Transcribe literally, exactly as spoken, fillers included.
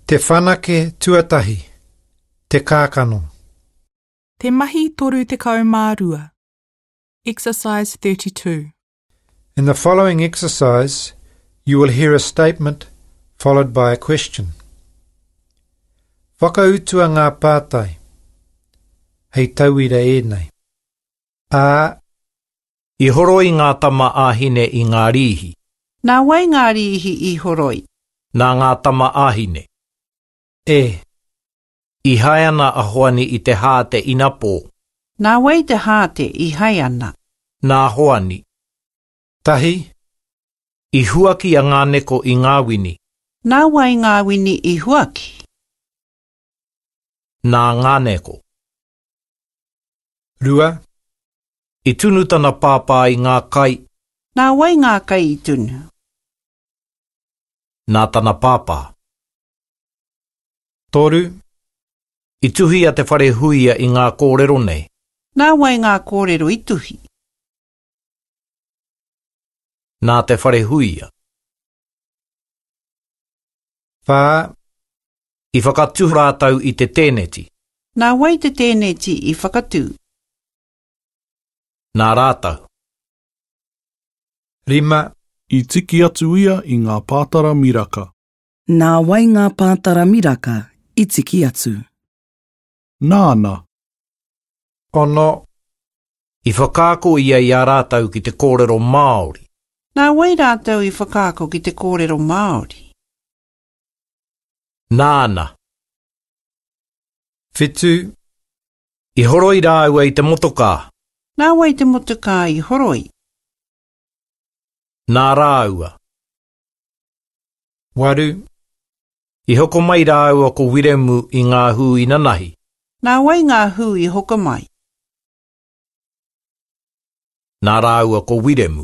Te whanake tuatahi, te kākano. Te mahi toru tekau mā rua. Exercise thirty-two. In the following exercise, you will hear a statement followed by a question. Whakautua ngā pātai. Hei tauira ēnei. A. I horoi ngā tama a Hine i ngā rīhi. Nā wai ngā rīhi i horoi? Nā ngā tama a Hine. E. I hae ana a Hoani i te hāte inapō. Nā wai te hāte i hae ana? Nā Hoani. Tahi. I huaki a Ngāneko i ngā wini. Nā wai ngā wini i huaki? Nā Ngāneko. Rua. I tunu tana pāpā i ngā kai. Nā wai ngā kai i tunu? Nā tana pāpā. Toru. I tuhi a Te Wharehuia i ngā kōrero nei. Nā wai ngā kōrero i tuhi? Nā Te Wharehuia. Whā. I whakatū rātou i te tēneti. Nā wai te tēneti i whakatū? Nā rātou. Rima. I tiki atu ia i ngā pātara miraka. Nā wai ngā pātara miraka i tiki atu? Nāna. Ono. I whakaako ia i a rātou ki te kōrero Māori. Nā wai rātou i whakaako ki te kōrero Māori? Nāna. Whitu. I horoi rāua i te motokā. Nā wai te motokā i horoi? Nā rāua. Waru. I hoko mai rāua ko Wiremu i ngā hū inanahi. Nā wai ngā hū i hoko mai? Nā rāua ko Wiremu.